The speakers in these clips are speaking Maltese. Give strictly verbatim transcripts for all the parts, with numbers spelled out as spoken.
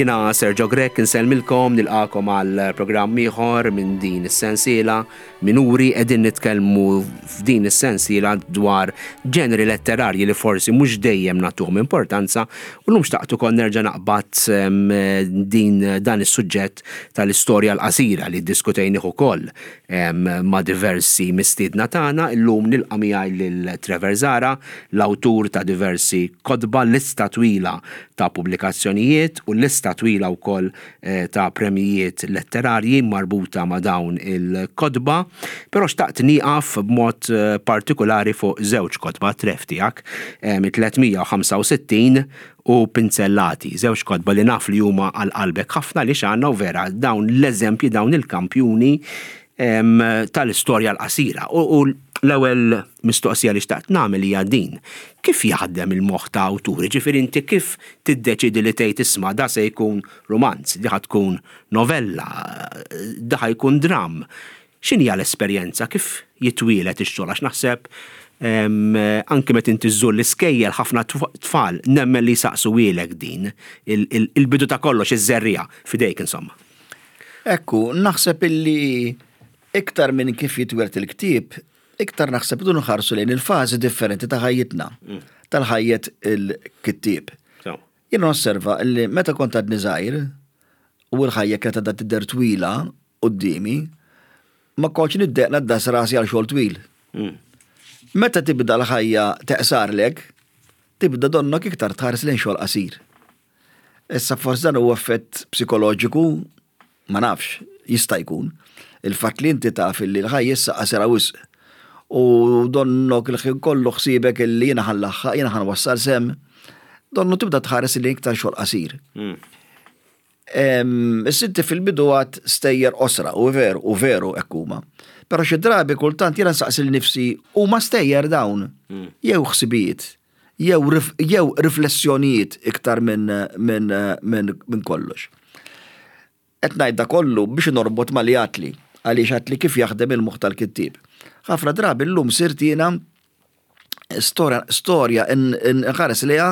Jiena Sergio Grech, insellmilkom, nilqagħkom għal programm ieħor minn din is-sensiela Minuri. Qegħdin nitkellmu f'din is-sensiela dwar ġeneri letterarji li forsi mhux dejjem nagħtuhom importanza, u llum xtaqt ukoll nerġa' naqbad din dan is-suġġett tal-istorja l-qasira li ddiskutejnih ukoll ma' diversi mistiedna tagħna. Illum nilqa' miegħi lil Trevor Zahra, l-awtur ta' diversi kotba, lista twila ta' pubblikazzjonijiet u lista twila wkoll eh, ta' premijiet letterarji marbuta ma' dawn il-kotba, però xtaqt nieqaf b'mod eh, partikolari fuq żewġ kotba, Trev, tiegħek, tliet mija u ħamsa u sittin u Pinzellati, żewġ kotba li naf li huma għal qalbek ħafna li xanna u vera dawn l-eżempji, dawn il-kampjuni tal-istorja l-qasira. U l-ewwel mistoqsija li xtaqt nagħmel hija din. Kif jaħdem il-moħħ ta' awturi? Ġifieri inti kif tiddeċidi li tgħid, "Isma', da se jkun romanz, di tkun novella, da jkun dram"? X'inhi l-esperjenza? Kif jitwielet ix-xogħol? Għax naħseb anke meta inti żżur l-iskejjel, ħafna tfal nemmen li saqsuhielek din, il-bidu ta' kollox, iż-żerriegħa fidejk, insomma. Ekku, naħseb illi iktar minn kif jitwieled il-ktieb, iktar naħseb dun nħarsu lejn il-fażi differenti ta' ħajjitna, mm. tal-ħajjet il-kittieb. Jien osserva li meta kont għadni żgħir u l-ħajja kienet għadha tidher twila quddiemi, ma kontx niddejjaq ngħaddas rasi għal xogħol twil. Mm. Meta tibda l-ħajja teqsarlek, tibda donnok iktar tħares lejn xogħol qasir. Issa forsi dan huwa effett psikoloġiku, ma nafx, jista' jkun. Il-fatt li inti taf li l-ħajja issa qasira wisq u donnok il-ħin kollu ħsibek illi jiena ħa nlaħħaq, jiena ħa nwassal s'hemm, donnu tibda tħares li iktar xogħol qasir. Mm. Is-sitti fil-bidu għad stejjer qosra, u veru, u veru ekkuma. Pero xi drabi kultant jiena nsaqsi lili nnifsi, huma stejjer dawn, mm. jew ħsibijiet, jew riflessjonijiet iktar minn min, min, min kollox. Qed ngħid da kollu biex norbot ma li għedtli, għaliex għedtli kif jaħdem il-moħħ tal-kittieb. Ħafna drabi llum sirt jiena storja, storja nħares liha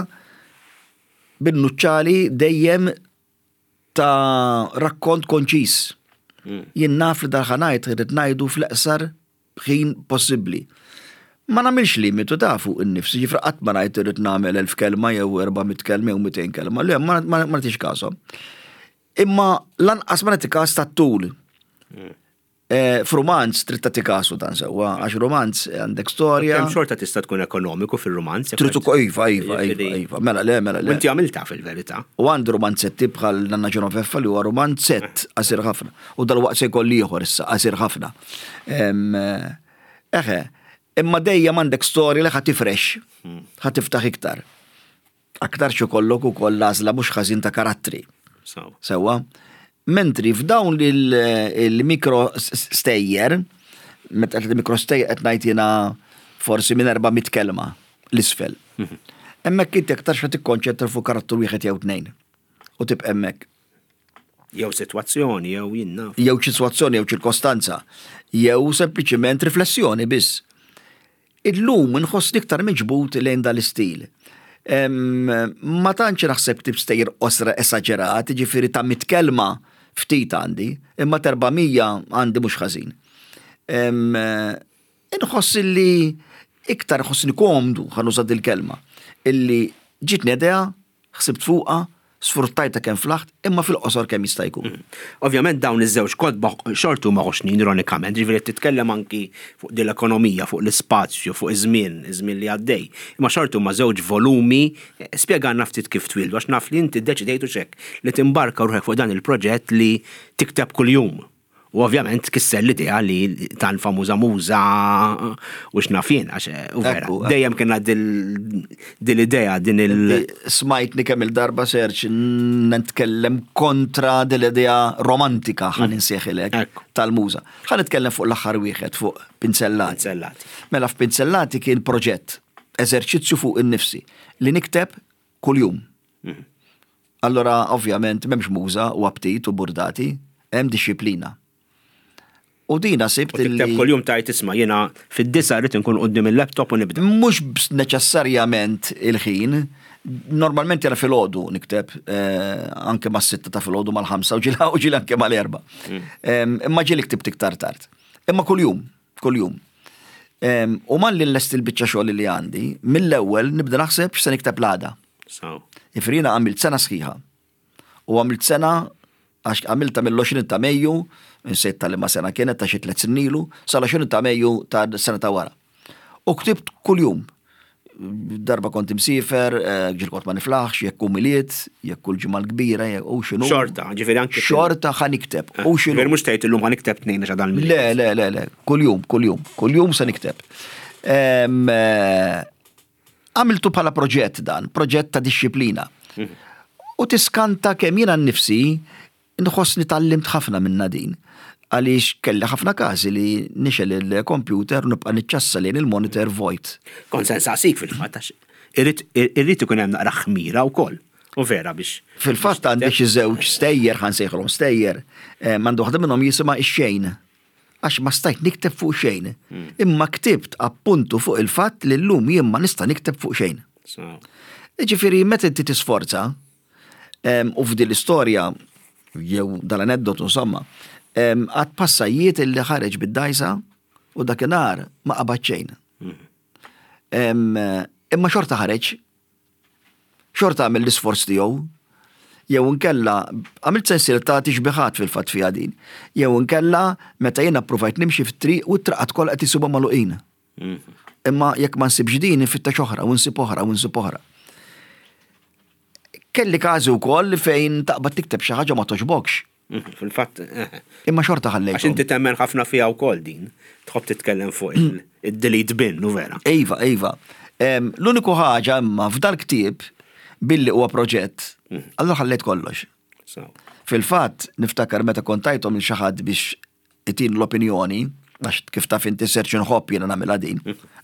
bin-nuċċali dejjem ta' rakkont konċis. Mm. Jien naf li dal-ħa ngħid irrid ngħidu fl-eqsar ħin possibbli. Ma nagħmilx limitu ta' fuq in-nifsi, ġifra qatt ma ngħid irrid nagħmel elf kelma jew erba' mitt kelma jew mitejn kelma, le, ma nagħtix każhom. Imma lanqas ma nagħti każ tat-tul. Mm. Eh, f'rumanz trid tagħti kasu dan sewwa, għax romanz għandek storja. Kemm xorta tista' tkun ekonomiku fil-romanz. Trid ukoll, iva, iva, iva, iva, mela le, mela le. Inti għamilta fil-verità. U għandi romanzetti bħal Nanna Ġenoveffa li huwa romanzett qasir ħafna. U dal-waqt se jkolli ieħor issa qasir ħafna. Eħe, imma dejjem għandek storja li ħa tifrex, hmm. ħa tiftaħ iktar. Aktar xi kollok ukoll l-għażla mhux ħażin ta' karattri. Sewwa. Mentri f'dawn il-mikro stejjer, meta mikro stejjer qed ngħid jiena forsi minn erba' mit kelma 'l isfel. Mhm. Hemmhekk inti aktar xa tikkonċentra fuq karattru wieħed jew tnejn. U tibqa' hemmhekk. Jew sitwazzjoni, jew jinna. Jew sitwazzjoni, jew ċirkostanza, jew sempliċiment riflessjoni biss. Illum nħoss iktar miġbut lejn dal-istil. Ma tantx naħseb tip stejjer qosra esaġerat, ġifieri ta' mit kelma ftit għandi, imma t'erba' mija għandi mhux ħażin. Inħoss li iktar ħossni komdu, ħa nuża dil-kelma, illi ġitni idea, ħsibt fuqha, sfruttajta kemm flaħt, imma fil-qosor kemm jista' jkun. Mm. Ovvjament dawn iż-żewġ kotba xorta huma ħoxnin, ironikament, ġifieri titkellem anki fuq din l-ekonomija, fuq l-ispazju, fuq iż-żmien, iż-żmien li għaddej. Imma xorta huma żewġ volumi. Spjegalna ftit kif twieldu, għax naf li inti ddeċidejtu xek li timbarka ruħek fuq dan il-proġett li tikteb kuljum. U ovvjament tkisser l-idea li tal-famuża muża u x'naf jien, għax u vera. Ekku, Dejjem kien dil-idea din il- Smajtni kemm il-darba, Serġ, nitkellem kontra dil-idea romantika, ħa nsejħilek, Ekku. tal-muża. Ħa nitkellem fuq l-aħħar wieħed, fuq Pinzellati. Pinzellati. Mela f'Pinzellati kien proġett, eżerċizzju fuq in-nifsi li nikteb kuljum. Allora, ovvjament, m'hemmx muża u aptit u burdati, hemm disċiplina. U dina sibt U tikteb kuljum tajt isma' jiena fid-disgħa rrid inkun quddiem il-laptop u nibda. Mhux neċessarjament il-ħin, normalment jara filgħodu nikteb, eh, anke mas-sitta ta' filgħodu, mal-ħamsa u ġieli u ġieli anke mal-erbgħa. Mm. Imma ġieli ktibt iktar tard. Imma kuljum, kuljum. U malli nlesti l-biċċa xogħol li għandi, mill-ewwel nibda naħseb x'se nikteb l-għada. Ifrina għamilt sena sħiħa. U għamilt sena għax għamilta mill-għoxrin ta' Mejju, insejt tal-ma sena kienet, ta' xi tliet snin ilu, sal-għoxrin ta' Mejju ta' sena ta' wara. U ktibt kuljum. Darba kont imsiefer, eh, ġieli kont ma niflaħx, jekk hu Milied, jekk kull ġimgħa l-kbira, jekk u x'inhu. Xorta, ġifieri anke. Xorta ħa nikteb. U x'inhu. Ġifieri mhux tgħid illum ħa nikteb tnejn għax dan. Le, le, le, le, kuljum, kuljum, kuljum se nikteb. Eh, għamiltu bħala proġett dan, proġett ta' dixxiplina. Mhm. U tiskanta kemm jiena nnifsi nħossni tgħallimt ħafna minna din. Għaliex kelli ħafna każi li nixgħel il-computer u nibqa' niċċassa lejn il-monitor vojt. Kont se nsaqsik fil-fatt għax irrid ikun hemm naqra ħmira wkoll. U vera biex. Fil-fatt għandi xi żewġ stejjer, ħa nsejħilhom stejjer, eh, m'għandu waħda minnhom jisimha ix-xejn. Għax ma stajt nikteb fuq xejn. Hmm. Imma ktibt appuntu fuq il-fatt li llum jien ma nista' nikteb fuq xejn. Ġifieri meta inti tisforza, u f'din l-istorja jew dal-aneddotu insomma, għad passajiet illi ħareġ bid-dajsa u dakinhar ma qabad xejn. Imma xorta ħareġ, xorta għamel l-isforz tiegħu, jew inkella għamilt sensiela ta' tixbiħat fil-fatt fiha din, jew inkella meta jiena ppruvajt nimxi fit-triq u t-traqat kollha qed isibhom magħluqin. Imma jekk ma nsibx din infittex oħra u nsib oħra u nsib oħra. Kelli każi wkoll fejn taqbad tikteb xi ħaġa ma toġbokx. Mhm, fil-fatt. Eh. Imma xorta ħallejt. Għax inti temmen ħafna fiha wkoll din. Tħobb titkellem fuq il-delete bin, u vera. Iva, iva. L-uniku ħaġa imma f'dal ktieb billi huwa proġett, mhm. allura ħallejt kollox. Fil-fatt, niftakar meta kont tajthom il xi ħadd biex itin l-opinjoni, għax kif taf inti search nħobb jiena nagħmilha din,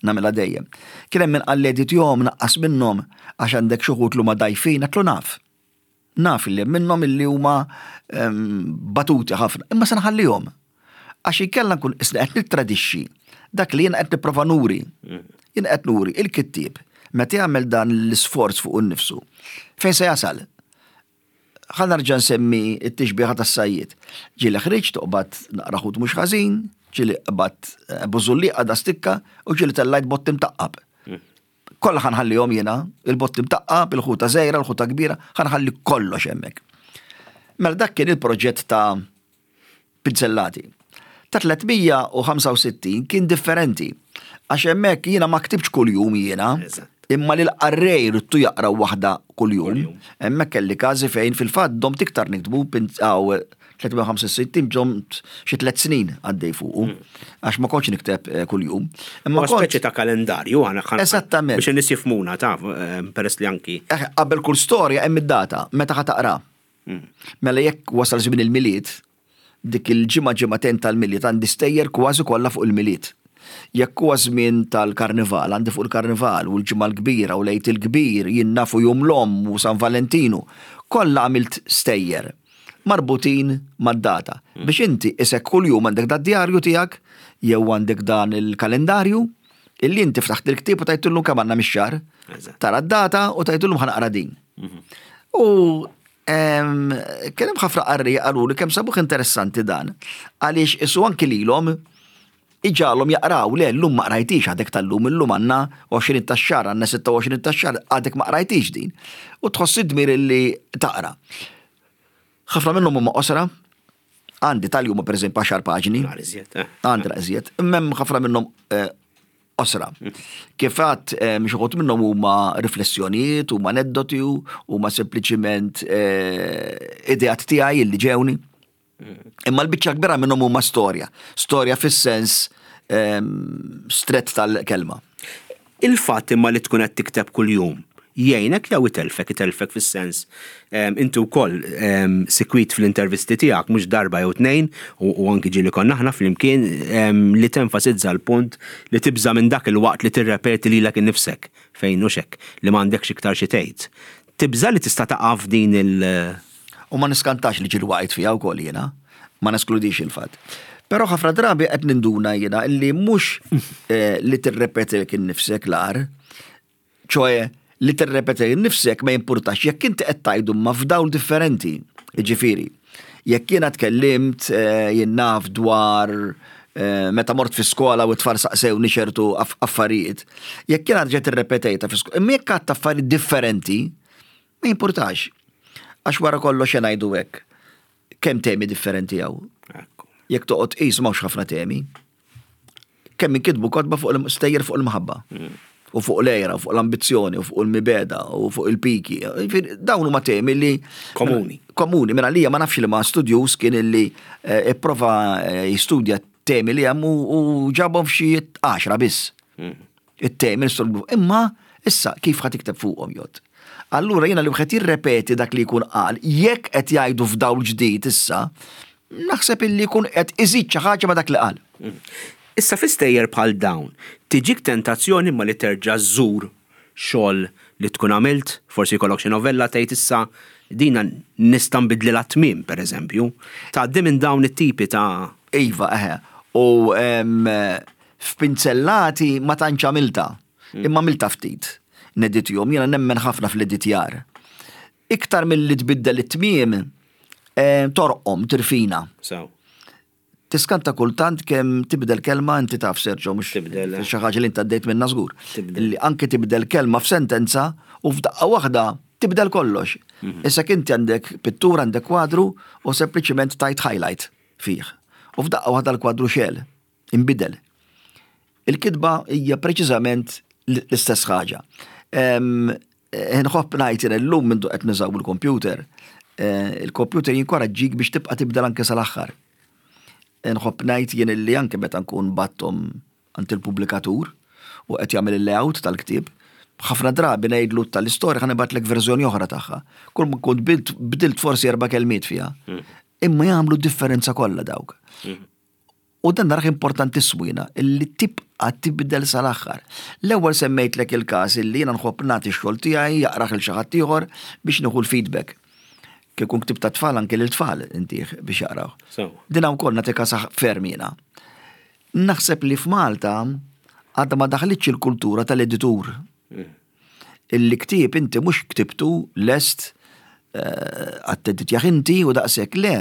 nagħmilha dejjem. Kien hemm min qalli editjahom, naqqas minnhom għax għandek xi wħud li huma dgħajfin, għedtlu naf. Naf li hemm minnhom illi huma batuti ħafna, imma se nħallihom. Għax inkella nkun isni qed nittradixxi dak li jiena qed nipprova nuri. Jien qed nuri il-kittieb meta jagħmel dan l-isforz fuq innifsu. Fejn se jasal? Ħa nerġa' nsemmi t-tixbieha tas-sajjied. Ġieli ħriġt toqbad naqra ħut mhux ħażin, ġieli qbadt eh, bużulliqa da stikka u ġieli tellajt bott imtaqqab. Kollha ħa nħallihom jiena, il-bott imtaqqab, il-ħuta żgħira, il-ħuta kbira, ħa nħalli kollox hemmhekk. Mela dak kien il-proġett ta' pinzellati. Ta' tliet mija u ħamsa u sittin kien differenti. Għax hemmhekk jiena ma ktibx kuljum jiena, imma li l-qarrej ridtu jaqra waħda kuljum. Hemmhekk kelli każi fejn fil-fatt domt iktar niktbu għaw tliet mija u ħamsa u sittin, domt xi tliet snin għaddej fuqu. Għax ma kontx nikteb eh, kuljum. Imma speċi ta' kalendarju għana. Esattament. Biex in-nies jifhmuna ta' eh, peress li anki. Eh, qabel kull storja hemm id-data meta ħa taqra. Hmm. Mela jekk wasal żmien il-Milied, dik il-ġimgħa ġimagħtejn tal-Milied għandi stejjer kważi kollha fuq il-Milied. Jekk huwa żmien tal-Karnival, għandi fuq il-Karnival u l-Ġimgħa l-Kbira u l-Għid il-Kbir, jien nafu Jum l-Omm u San Valentinu, kollha għamilt stejjer marbutin mad-data. Mm. Biex inti isek kuljum għandek da djarju tiegħek jew għandek dan il-kalendarju illi inti ftaħt il-ktieb u tgħidilhom kemm għandna mix-xahar. Tara d-data u tgħidilhom ħa naqra din. Mhm. U kien hemm ħafna qarrejja qalu li kemm sabuh interessanti dan. Għaliex isu anki lilhom iġagħalhom jaqraw, le llum ma qrajtix għadek tal-lum, illum għandna għoxrin tax-xahar, għandna sitta u għoxrin tax-xahar, għadek ma qrajtix din. U tħoss id-dmir illi taqra. Ħafna minnhom huma qosra, għandi tal-jum per eżempju għaxar paġni. Eh. Għandi iżjed, imma ħafna minnhom eh, qosra. Kif għedt, eh, xi wħud minnhom huma riflessjonijiet, huma aneddoti, huma sempliċiment ideat tiegħi illi ġewni. Imma l-biċċa kbira minnhom huma storja. Storja fis-sens stret tal-kelma. Il-fatt imma li tkun qed tikteb kuljum jgħinek jew itelfek, itelfek fis-sens inti wkoll sikwit fl-intervisti tiegħek mhux darba jew tnejn u anki ġieli konna aħna flimkien li tenfasizza l-punt li tibża minn dak il-waqt li tirrepeti lilek innifsek fejn hux hekk li m'għandekx iktar xi tgħid. Tibża li tista' taqa' f'din il- U ma niskantax li ġieli waqajt fiha wkoll jiena, ma neskludix il-fatt. Però ħafna drabi qed ninduna jiena illi mhux eh, li tirrepeti innifsek l-ar, ċoè li tirrepeti innifsek ma jimpurtax jekk inti qed tgħidu ma f'dawl differenti. Ġifieri, jekk jiena tkellimt eh, jien naf dwar eh, meta mort fi skola u t-tfal saqsewni ċertu affarijiet, jekk jiena rġajt irrepetejta fi skola, imma jekk għedt affarijiet differenti, ma jimpurtax. Għax wara kollox ngħidu hekk. Kemm temi differenti hawn? Jekk toqgħod qis m'hawnx ħafna temi. Kemm inkitbu kotba fuq il-stejjer fuq il-mħabba. U fuq l-għira, u fuq l-ambizzjoni, u fuq il-mibegħda, u fuq il-piki. Dawn huma temi li Komuni. Komuni, minn għalija ma nafx li ma studjus kien illi eh, ipprova eh, jistudja temi li hemm u ġabhom f'xi għaxra biss. It-temi nistolbu. Imma issa kif ħa tikteb fuqhom jott? Allura jiena li wieħed jirrepeti dak li jkun qal, jekk qed jgħidu f'dawl ġdid issa, naħseb illi jkun qed iżid xi ħaġa ma' dak li qal. Issa fi stejjer bħal dawn, tiġik tentazzjoni ma li terġa' żżur xogħol li tkun għamilt, forsi jkollok xi novella tgħid issa dina nista' nbidlilha tmiem pereżempju. Tgħaddi minn dawn it-tipi ta' Iva, eħe. U f'pinzellati ma tantx għamilta, imma għamilta ftit. Neditjom, jiena nemmen ħafna fl-editjar. Iktar mill-li tbiddel it-tmiem, eh, torqom, tirfina. Sew. Tiskanta kultant kemm tibdel kelma inti taf Sergio mhux Tibdel, eh. xi ħaġa li inti għaddejt minnha żgur. Tibdel. Li anke tibdel kelma f'sentenza u f'daqqa waħda tibdel kollox. Mhm. Issa inti għandek pittura, għandek kwadru u sempliċiment tajt highlight fih. U f'daqqa waħda l-kwadru xegħel, imbidel. Il-kitba hija preċiżament l-istess ħaġa. Nħobb ngħid illum minn qed nużaw il-computer, eh, il-computer jinkoraġġik biex tibqa' tibdel anke sal-aħħar. Nħobb ngħid jien illi anke meta nkun bgħatthom għand il-pubblikatur u qed jagħmel il-layout tal-ktieb, ħafna drabi ngħidlu tal-istorja ħa nibgħatlek verżjoni oħra tagħha. Kull ma kont bdilt forsi erba' kelmiet fiha. Imma jagħmlu differenza kollha dawk. U dan narah importantissimu jiena, illi tibqa' tibdel sal-aħħar. L-ewwel semmejtlek il-każ illi jiena nħobb nagħti x-xogħol tiegħi jaqrah lil xi ħadd ieħor biex nieħu l-feedback. Kieku ktieb ta' tfal anke lil tfal intih biex jaqraw. Din wkoll nagħti każ ferm jiena. Naħseb li f'Malta għadha ma daħlitx il-kultura tal-editur. Illi ktieb inti mhux ktibtu lest eh, għat-teditjaħ inti u daqshekk le.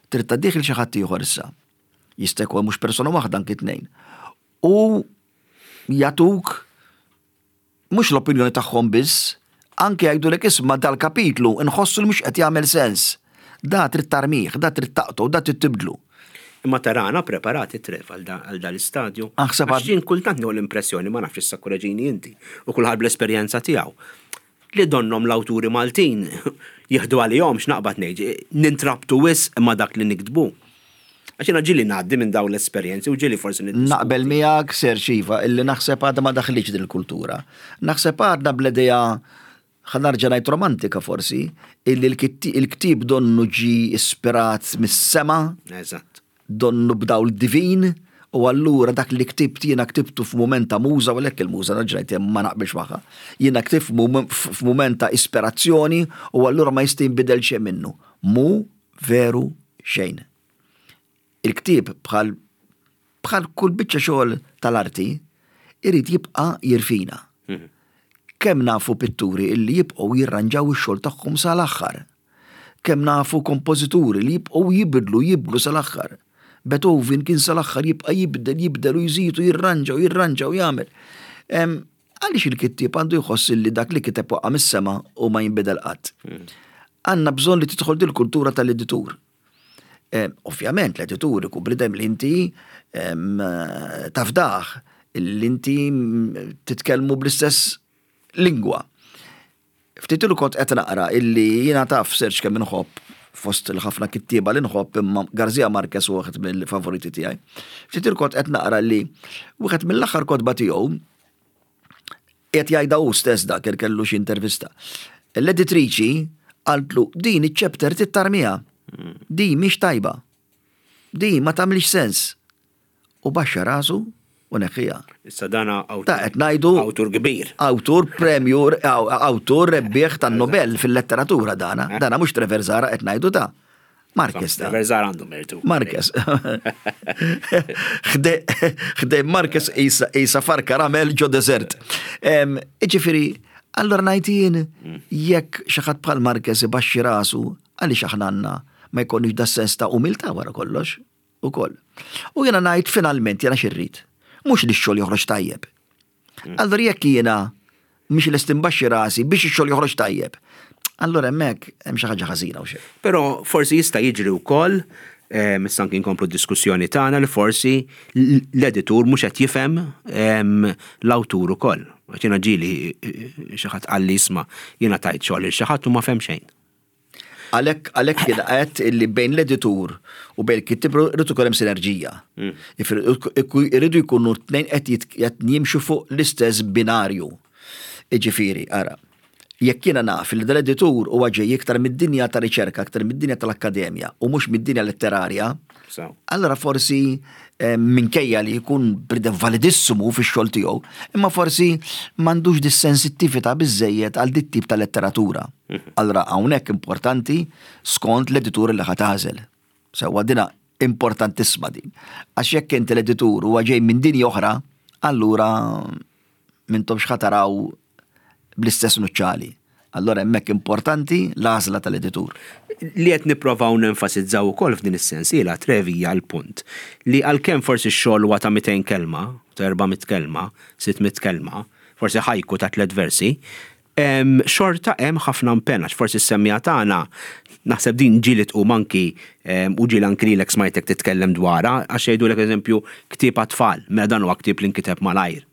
Trid tgħaddih lil xi ħadd ieħor issa. Jista' jkun mhux persona waħda anki tnejn. U jagħtuk mhux l-opinjoni tagħhom biss, anke jgħidulek isma' dal-kapitlu nħossu li mhux qed jagħmel sens. Da trid tarmih, da trid taqtgħu, da trid tibdlu. Imma tarana preparati Trev għal dal-istadju. Aħseb Għax jien kultant nieħu l-impressjoni ma nafx issa korreġini inti u kulħadd bl-esperjenza tiegħu. Li donnom l-awturi Maltin jieħdu għalihom x'naqbad ngħid, nintrabtu wisq ma' dak li niktbu. Għax jiena ġieli ngħaddi minn dawn l-esperjenzi u ġieli forsi niddiskuti. Naqbel miegħek Serge iva, illi naħseb għadha ma daħlitx din il-kultura. Naħseb għadna bl-idea ħa nerġa' ngħid romantika forsi, illi l-ktieb donnu ġi ispirat mis-sema. Eżatt. Donnu b'dawl divin, u allura dak li ktibt jiena ktibtu f'mument ta' muża, u għalhekk il-muża nerġa' ngħid ma naqbilx magħha. Jiena ktibt f'mument ta' ispirazzjoni u allura ma jista' jinbidel xejn minnu. Mu veru xejn. Il-ktieb bħal bħal kull biċċa xogħol tal-arti irid jibqa' jirfina. Kemm nafu pitturi illi jibqgħu jirranġaw ix-xogħol tagħhom sal-aħħar. Kemm nafu kompożituri li jibqgħu jibdlu jibdlu sal-aħħar. Beethoven kien sal-aħħar jibqa' jibdel, jibdel u jżid u jirranġa u jirranġa u jagħmel. Għaliex il-kittieb għandu jħoss li dak li kiteb waqa' mis-sema u ma jinbidel qatt. Għandna bżonn li tidħol dil kultura tal-editur. Ovvjament l-editur ikun bniedem li inti tafdaħ, li inti titkellmu bl-istess lingwa. Ftit ilu kont qed naqra illi jiena taf Serge kemm inħobb fost il-ħafna kittieba li nħobb imma Garcia Marquez huwa wieħed mill-favoriti tiegħi. Ftit ilu kont qed naqra li wieħed mill-aħħar kotba tiegħu qed jgħidha hu stess dak kellu xi intervista. L-editriċi qaltlu din iċ-chapter trid tarmiha. Di mhix tajba. Di ma tagħmilx sens. U baxxa rasu u neħħija. Issa dana awtur. Ta' qed ngħidu Awtur kbir. Awtur premju, awtur rebbieħ tan-Nobel fil-letteratura dana. Dana mhux Trevor Zahra qed ngħidu ta' Marquez ta. Verzar għandu mertu. Marquez. Ħdejn Marquez isa farka ramel ġo desert. Iġifieri, allora ngħid jien jekk xi ħadd bħal Marquez ibaxxi rasu, għaliex aħna għandna ma jkollniex da sens ta' umiltà wara kollox ukoll? U jiena ngħid finalment jiena x'irrid. Mhux li x-xogħol joħroġ tajjeb. Allora jekk jiena mhix lest imbaxxi rasi biex ix-xogħol joħroġ tajjeb, allora hemmhekk hemm xi ħaġa ħażina u xejn. Però forsi jista' jiġri wkoll, issa anki nkomplu d-diskussjoni tagħna, li forsi l-editur mhux qed jifhem l-awtur ukoll. Għax jiena ġieli xi ħadd qalli, "Isma', jiena tajt xogħol lil xi ħadd u ma fehem xejn." Għalhekk għalhekk jiena għedt illi bejn l-editur u bejn il-kittib irid ikun hemm sinerġija. Irridu jkunu tnejn qed jimxu fuq l-istess binarju. Iġifieri, ara, jekk jiena naf li dal-editur huwa ġej iktar mid-dinja ta' riċerka, iktar mid-dinja tal-akkademja u mhux mid-dinja letterarja, allora forsi eh, minkejja li jkun bniedem validissimu fix-xogħol tiegħu, imma forsi m'għandux dis-sensittività biżejjed għal dit tip ta' letteratura. Mhm. Allora hawnhekk importanti skont l-editur li ħa tagħżel. Sewwa, dina importantissima din. Għax jekk inti l-editur huwa ġej minn dinja oħra, allura m'intomx ħa taraw bl-istess nuċċali. Allora hemmhekk importanti l-għażla tal-editur. Li qed nipprovaw nenfasizzaw ukoll f'din is-sensiela, Trevi, hija l-punt li għalkemm forsi x-xogħol huwa ta' mitejn kelma, ta' erba' mitt kelma, sitt mitt kelma, forsi ħajku ta' tliet versi, xorta hemm ħafna impenn, għax forsi s-semmiegħa tagħna, naħseb din ġieli tqum anki u ġieli anki lilek smajtek titkellem dwarha, għax jgħidulek, eżempju, ktieb għat-tfal, mela dan huwa ktieb li nkiteb malajr.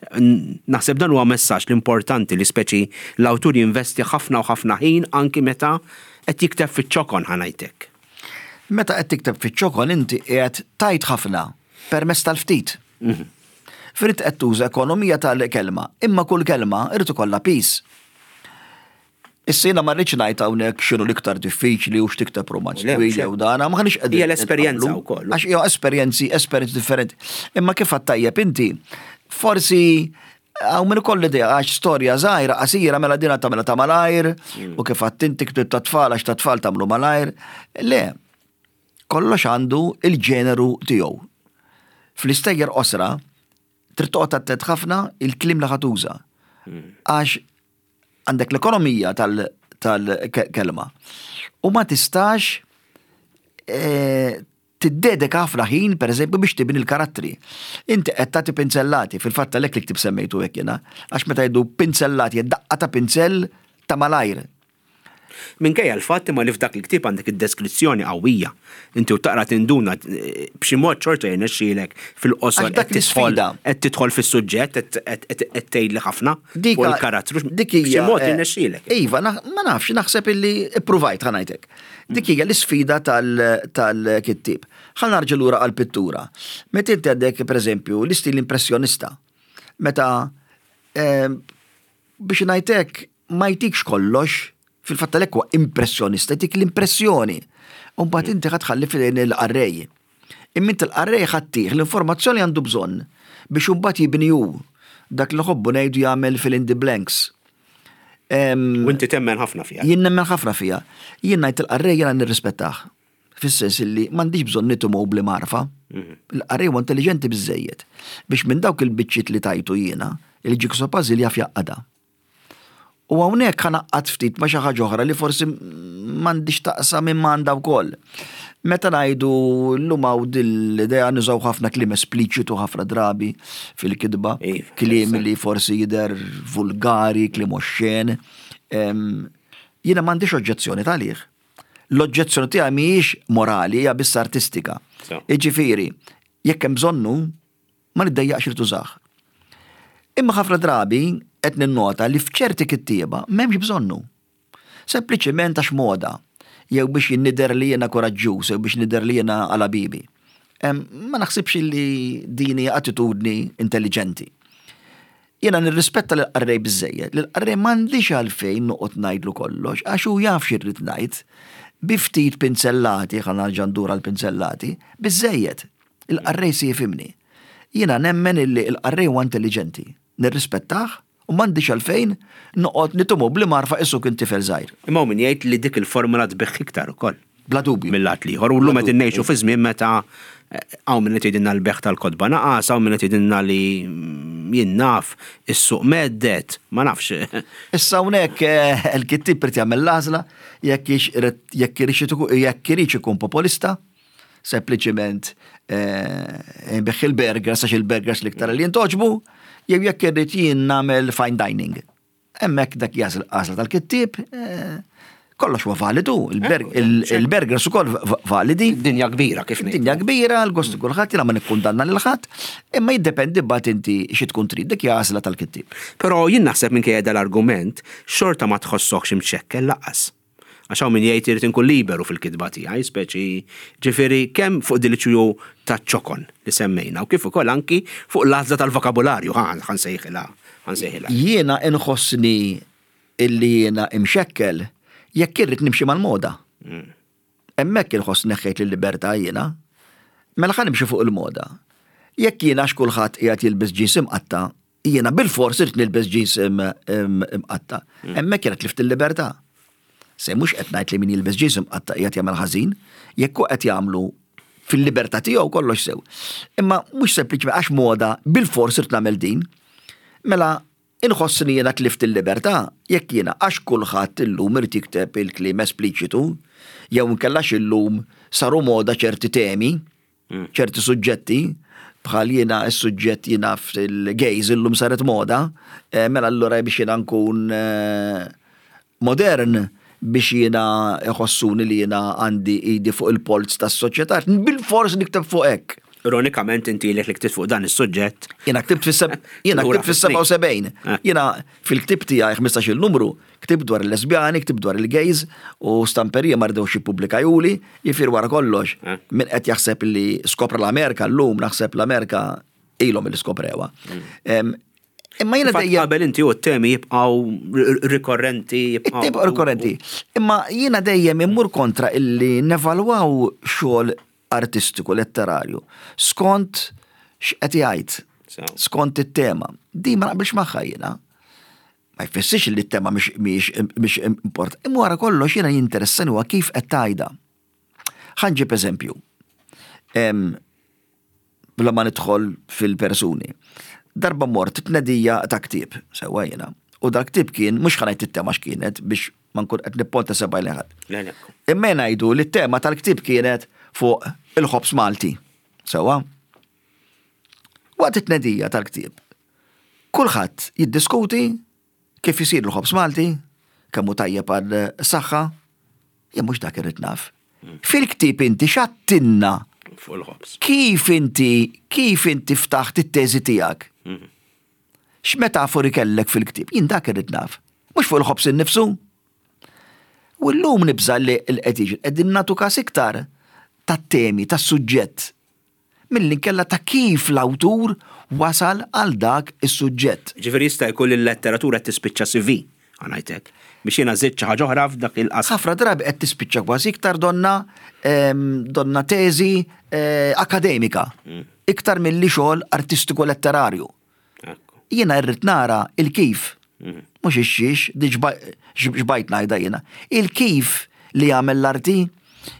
Naħseb dan huwa messaġġ l-importanti li speċi l-awtur jinvesti ħafna u ħafna ħin anki meta qed jikteb fiċ-ċokon, ħa ngħidlek. Meta qed tikteb fiċ-ċokon inti qiegħed tajt ħafna permezz tal-ftit. Mhm. Frid qed tuża ekonomija tal-kelma, imma kull kelma irid ikollha piż. Issa jiena ma rridx ngħid hawnhekk x'inhu l-iktar diffiċli u x'tikteb romanz twil jew dana, ma ħanix qegħdin. Hija l-esperjenza wkoll. Għax hija esperjenzi, esperjenzi differenti. Imma kif tajjeb inti, forsi hawn min ikollu idea għax storja żgħira qasira mela dina tagħmilha ta' malajr mm. u kif għedt inti ktieb ta' tfal għax ta' tfal tagħmlu malajr. Le, kollox għandu il-ġeneru tiegħu. Fl-istejjer qosra, trid toqgħod attent ħafna il-kliem li ħa tuża. Mm. Għax għandek l-ekonomija tal-kelma. U ma tistax eh, tiddedika ħafna ħin, per eżempju, biex tibni l-karattri. Inti qed tagħti pinzellati, fil-fatt għalhekk li ktib semmejtu hekk jiena, għax meta jgħidu pinzellati, daqqa ta' pinzell ta' malajr. Minkejja l-fatt imma li f'dak il-ktieb għandek id-deskrizzjoni qawwija. Inti u taqra tinduna eh, b'xi mod xorta jirnexxielek fil-qosor Għax dak qed tidħol l-isfida. qed tidħol fis-suġġett, qed- qed qed tgħidli ħafna Dika- fuq il-karattru. Dik hija. B'xi mod eh, jirnexxielek. Iva, naħ- ma nafx, naħseb illi ippruvajt, ħa ngħidlek. Dik hija l-isfida tal-kittib. Ħa nerġa' lura għal-pittura. Meta inti għandek, per eżempju, l-istil impressjonista. Meta eh, biex ngħidlek ma jtikx kollox, fil-fatt għalhekk huwa impressjonista, jtik l-impressjoni. U mbagħad inti ħa tħalli f'idejn il-qarrej. Imma inti l-qarrej ħa ttih l-informazzjoni għandu bżonn biex imbagħad jibni hu dak li ħobbu ngħidu jagħmel fill in the blanks. Em, U inti temmen ħafna fiha. Jien nemmen ħafna fija. Jien ngħid il-qarrej jiena nirrispettah. Fis-sens illi m'għandix bżonn nitimgħu bl-marfa. Il-qarrej huwa intelligenti biżejjed biex minn dawk il-biċċiet li tajtu jiena, il-jigsaw puzzle jaf jgħaqqadha. U hawnhekk ħa ngħaqqad ftit ma' xi ħaġa oħra li forsi m'għandix taqsam minn m'għandha wkoll. Meta ngħidu llum hawn dil-idea nużaw ħafna kliem espliċitu ħafna drabi fil-kitba, Iva, kliem li forsi jidher vulgari, kliem oxxen. Em, Jiena m'għandix oġġezzjoni talih. L-oġġezzjoni tiegħi mhijiex morali, hija biss artistika. So. Jiġifieri, jekk hemm bżonnu, ma niddejjaqx li tużah. Imma ħafna drabi qed ninnota li f'ċerti kittieba m'hemmx bżonnu. Sempliċiment għax moda, jew biex nidher li jiena koraġġuż, jew biex nidher li jiena għala bibi. Em, Ma naħsibx li din hija attitudni intelligenti. Jiena nirrispetta l-qarrej biżejjed, l-qarrej m'għandix għalfejn noqgħod ngħidlu kollox, għax hu jaf x'irrid ngħid. Bi ftit pinzellati, ħa nerġa' ndur għal pinzellati, biżejjed. Il-qarrej si jifhimni. Jiena nemmen illi il-qarrej huwa intelligenti. Nirrispettah u m'għandix għalfejn noqgħod nitumu bli marfa qisu kien tifel żgħir. Imma min jgħid li dik il-formula tbigħ iktar ukoll. Bla dubju. Mill-lat l-ieħor. U llum qed ngħixu fi żmien meta hawn min qed jgħidilna l-bejgħ tal-kotba naqas, hawn min qed jgħidilna li jien naf is-suq meddet, ma nafx. Issa hawnhekk eh, il-kittieb irid jagħmel l-għażla jekk jekk irid ikun populista, sempliċiment eh, nbigħ il-burgers għax il-burgers l-iktar li jintgħoġbu, jew jekk irrid jien nagħmel fine dining. Hemmhekk dak jagħżel għażla tal-kittieb, eh, kollox huwa validu, il-burgers ukoll validi. Dinja kbira kif ngħid. Dinja kbira, l-gost kulħadd, jiena ma nikkundanna lil ħadd, imma jiddependi mbagħad inti xi tkun trid, dik hija għażla tal-kittieb. Però jien naħseb minkejja dal-argument xorta ma tħossokx imxekkel lanqas. Għax hawn min jgħid irid inkun liberu fil-kitba tiegħi, speċi ġifieri kemm fuq dil ta' ċokon li semmejna u kif ukoll anki fuq l-għażla tal-vokabularju, ħa nsejħilha, ħa nsejħilha. Jiena inħossni illi jiena imxekkel jekk irrid nimxi mal-moda. Hemmhekk inħoss neħħejt l-libertà jiena. Mela ħa nimxi fuq il-moda. Jekk jiena għax kulħadd qiegħed jilbes jeans imqatta, jiena bil-fors irid nilbes jeans imqatta. Hemmhekk jiena tlift il-libertà. Se mhux qed ngħid li min jilbes jeans imqatta qiegħed jagħmel ħażin, jekk hu qed jagħmlu fil-libertà tiegħu kollox sew. Imma mhux sempliċement għax moda bil-fors irid nagħmel din. Mela inħossni jiena tlift il-libertà jekk jiena għax kulħadd illum irid jikteb il-kliem espliċitu, jew inkellax illum saru moda ċerti temi, ċerti suġġetti, bħal jiena s-suġġett jiena fil-gays illum saret moda, eh, mela allura biex jiena nkun eh, modern biex jiena iħossuni li jiena għandi idi fuq il-polz tas-soċjetà, bil-fors nikteb fuq hekk. Ironikament inti li ktibt fuq dan is-suġġett. Jiena ktibt jiena ktibt fis-sebgħa u sebgħin. Eh. Jiena fil-ktib tiegħi ħmistax-il numru, ktibt dwar il-lesbjani, ktibt dwar il-gays u Stamperija ma ridewx jippubblikawhuli, jiġifieri wara kollox. Eh. Min qed jaħseb li skopra l-Amerika llum, naħseb l-Amerika ilhom li skoprewha. Em, Imma jiena Fatt dejjem qabel inti u t-temi jibqgħu rikorrenti. jibqgħu- It-temi rikorrenti. Imma jiena dejjem immur kontra illi nevalwaw xogħol artistiku, letterarju, skont x'qed jgħid, Sew. skont it-tema. Di ma naqbilx magħha jiena. Ma jfissirx li t-tema mhix mhix import. Imma wara kollox jiena jinteressani huwa kif qed tgħidha. Ħa nġib eżempju. Em, Bla ma nidħol fil-persuni. Darba mort tnedija ta' ktieb, sewwa jiena. U dal ktieb kien, mhux ħa ngħid it-tema x'kienet biex ma nkun qed nipponta sebgħi lejn ħadd. Le, le. Imma ngħidu li t-tema tal-ktieb kienet fuq il-ħobż Malti. Sewwa? Waqt it-tnedija tal-ktieb, kulħadd jiddiskuti kif isir il-ħobż Malti, kemm hu tajjeb għal saħħa, jien mhux dak irrid naf. Fil-ktieb inti x'għedtilna Fuq il-ħobż. kif inti kif inti ftaħt it-teżi tiegħek? X'metafori kellek fil-ktieb? Jien dak irrid naf. Mhux fuq il-ħobż innifsu. U llum nibża li l-qed jiġri qegħdin nagħtu każ iktar tat-temi, tas-suġġett. Milli nkella ta' kif l-awtur wasal għal dak is-suġġett. Ġifieri jista' jkun li l-letteratura qed tispiċċa C V, ħa ngħidlek. Biex jiena żidt xi ħaġa oħra f'dak il-qasam. Ħafna drabi qed tispiċċa kważi iktar donna em, donna teżi eh, akademika. Iktar milli xogħol artistiku letterarju. Ekku. Jiena rrid nara il-kif. Mhux ix-xiex, di xbajt ngħidha jiena. Il-kif li jagħmel l-arti,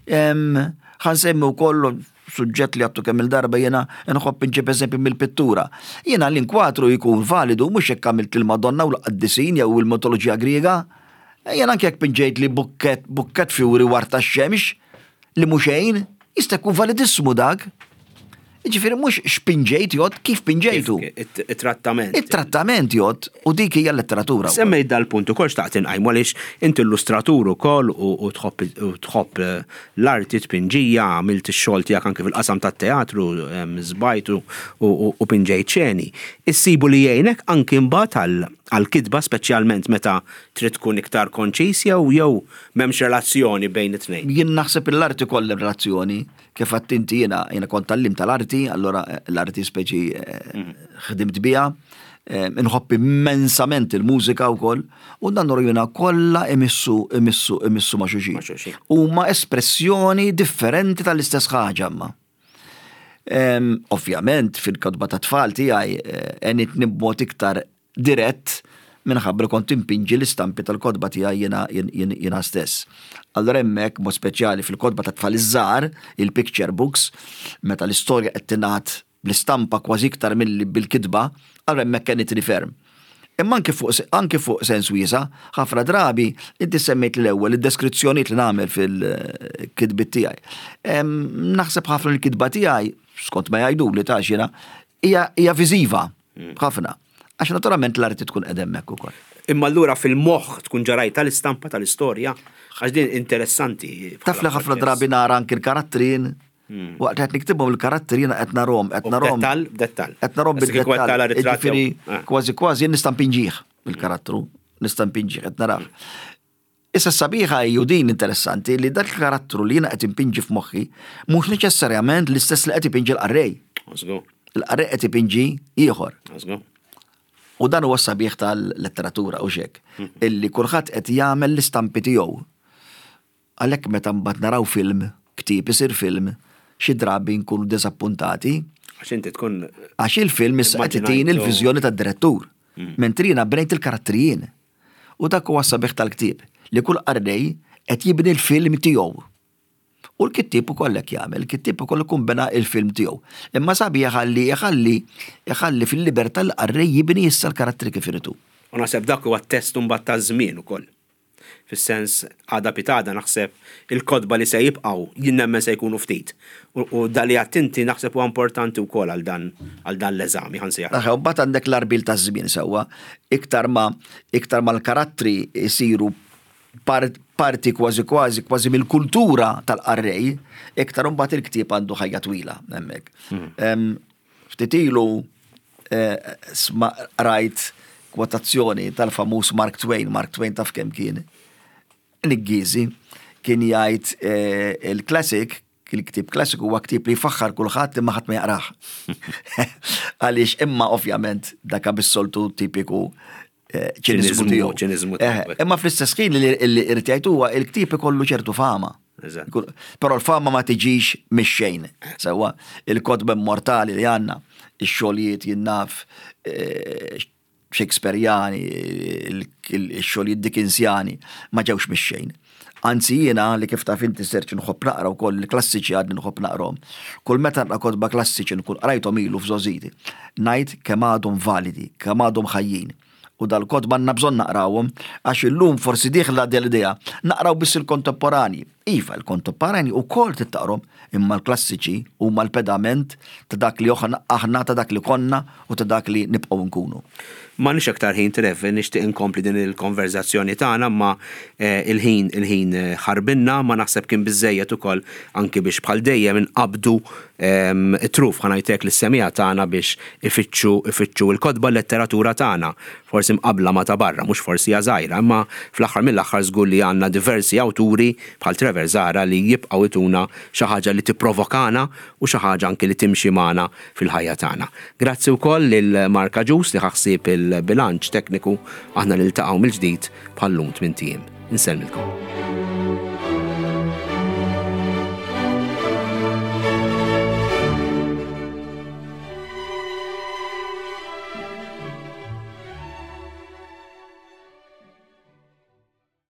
em, ħa nsemmi wkoll suġġett li għedtu kemm il-darba, jiena nħobb inġib eżempju mill-pittura. Jiena l-inkwatru jkun validu mhux jekk għamilt il-Madonna u l-qaddisin jew il-mitoloġija Griega. Jiena anke jekk pinġejt li bukket, bukket fjuri warta x-xemx li mhux xejn, jista' jkun validissimu dak. Ġifieri mhux x'pinġejt jgħodd, kif pinġejtu. It- It-trattament. Il-trattament jgħodd u dik hija l-letteratura. Semmejt dal-punt ukoll xtaqt inqajmu għaliex inti illustratur ukoll u u tħobb u tħobb eh, l-arti tpinġija, għamilt ix-xogħol tiegħek anke fil-qasam tat-teatru, em, żbajt u- u u pinġejt xeni. Issibu li jgħinek anki mbagħad għal- għal-kitba speċjalment meta trid tkun iktar konċis jew jew m'hemmx relazzjoni bejn it-tnejn? Jien naħseb l-arti kollha relazzjoni, kif għedt inti jiena jiena kont tgħallimt tal-arti, allora eh, l-arti speċi eh, ħdimt biha, eh, inħobb immensament il-mużika wkoll, u dan jiena kollha imissu imissu imissu ma' xulxin. Ma' xulxin. Huma espressjoni differenti tal-istess ħaġa imma. Em, Ovvjament, fil-kotba ta' tfal tiegħi eh, għenitni b'mod iktar dirett Minħabba li kont impinġi l-istampi tal-kotba tiegħi jiena jiena stess. Allora hemmhekk mod speċjali fil-kotba ta' tfal iż-żgħar, il-picture books, meta l-istorja qed tingħad bl-istampa kważi iktar milli bil-kitba, allora hemmhekk għenitni ferm. Imma anke fuq anke fuq sens wiesa', ħafna drabi inti semmejt l-ewwel id-deskrizzjonijiet li nagħmel fil-kitbiet tiegħi. Naħseb ħafna l-kitba tiegħi, skont ma jgħidu li ta' jiena, hija viżiva ħafna. Għax naturalment l-arti tkun qed hemmhekk ukoll. Imma allura fil-moħħ tkun ġa rajt tal-istampa tal-istorja, għax din interessanti. Taf li ħafna drabi nara anki l-karattrin, waqt qed niktibhom il-karattri jiena qed narahom, qed narahom. Dettal, dettal. Qed narahom bid-dettal. Ġifieri kważi kważi jien nista' npinġih il-karattru, nista' npinġih qed narah. Issa sabiħa ju din interessanti li dak il-karattru li jiena qed impinġi f'moħħi mhux neċessarjament l-istess li qed ipinġi l-qarrej. Il-qarrej qed ipinġi ieħor. U dan huwa sabiħ tal-letteratura u xek, illi kulħadd qed jagħmel l-istampi tiegħu. Għalhekk meta mbagħad naraw film, ktieb isir film, xi drabi nkunu diżappuntati. Għax inti tkun Għax il-film issa qed itini l-viżjoni tad-direttur. Mentri jiena bnejt il-karattri jien. U dak huwa sabiħ tal-ktieb li kull qarrej qed jibni l-film tiegħu. U l-kittieb ukoll hekk jagħmel, il-kittieb ukoll ikun bena il-film tiegħu. Imma sabiħ ħalli iħalli iħalli fil-libertà l-qarrej jibni issa l-karattri kif iridu. U naħseb dak huwa test mbagħad taż-żmien ukoll. Fis-sens għada pitgħada naħseb il-kotba li se jibqgħu jien nemmen se jkunu ftit. U dali għattinti naħseb huwa importanti wkoll għal dan għal dan l-eżami ħa nsejjaħ. Aħe, u mbagħad għandek l-għarbiel taż-żmien sewwa, iktar ma iktar ma l-karattri jsiru parti kważi kważi kważi mill-kultura tal-qarrej, iktar imbagħad il-ktieb għandu ħajja twila hemmhekk. Ftit ilu rajt kwotazzjoni tal-famuż Mark Twain, Mark Twain taf kemm kien Niggiżi, kien jgħid il-classic, il-ktieb klassiku huwa ktieb li jfaħħar kulħadd imma ħadd ma jaqrah. Għaliex imma ovvjament dak bis-soltu tipiku ċiniżmu tiegħu. Ċiniżmu tiegħu. Imma fl-istess ħin li irid jgħid huwa il-ktieb ikollu ċertu fama. Però l-fama ma tiġix mix-xejn. Sewwa il-kotba immortali li għandna, ix-xogħlijiet jien naf Shakespeareani, il-xogħlijiet Dickensiani ma ġewx mix-xejn. Anzi jiena li kif taf inti Serġ nħobb naqra wkoll il-klassiċi għadni nħobb naqrahom. Kull meta naqra kotba klassiċi nkun qrajthom ilu f'żgħożiti, ngħid kemm għadhom validi, kemm għadhom ħajjin. U dal-kotba għandna bżonn naqrawhom għax illum forsi dieħla l-idea naqraw biss il-kontemporani. Iva, il-kontemporani wkoll tittaqrom, imma l-klassiċi huma l-pedament ta' dak li aħna, ta' dak li konna u ta' dak li nibqgħu nkunu. M'għandniex aktar ħin Trev, nixtieq inkompli din il-konverzazzjoni tagħna, ma il-ħin il-ħin ħarbinna, ma naħseb kien biżejjed ukoll anki biex bħal dejjem inqabdu it-truf ħa ngħidlek lis-semmiegħa tagħna biex ifittxu ifittxu l-kotba l-letteratura tagħna. Forsi mqabla ma ta' barra, mhux forsi hija żgħira, imma fl-aħħar mill-aħħar żgur li għandna diversi awturi bħal Trevor Zahra li jibqgħu ituna xi ħaġa li tipprovokana u xi ħaġa anki li timxi magħna fil-ħajja tagħna. Grazzi wkoll lil Mark Agius li ħaħsib il-bilanċ tekniku, aħna niltaqgħu mill-ġdid bħal-lum tmint ijiem. Insellmilkom.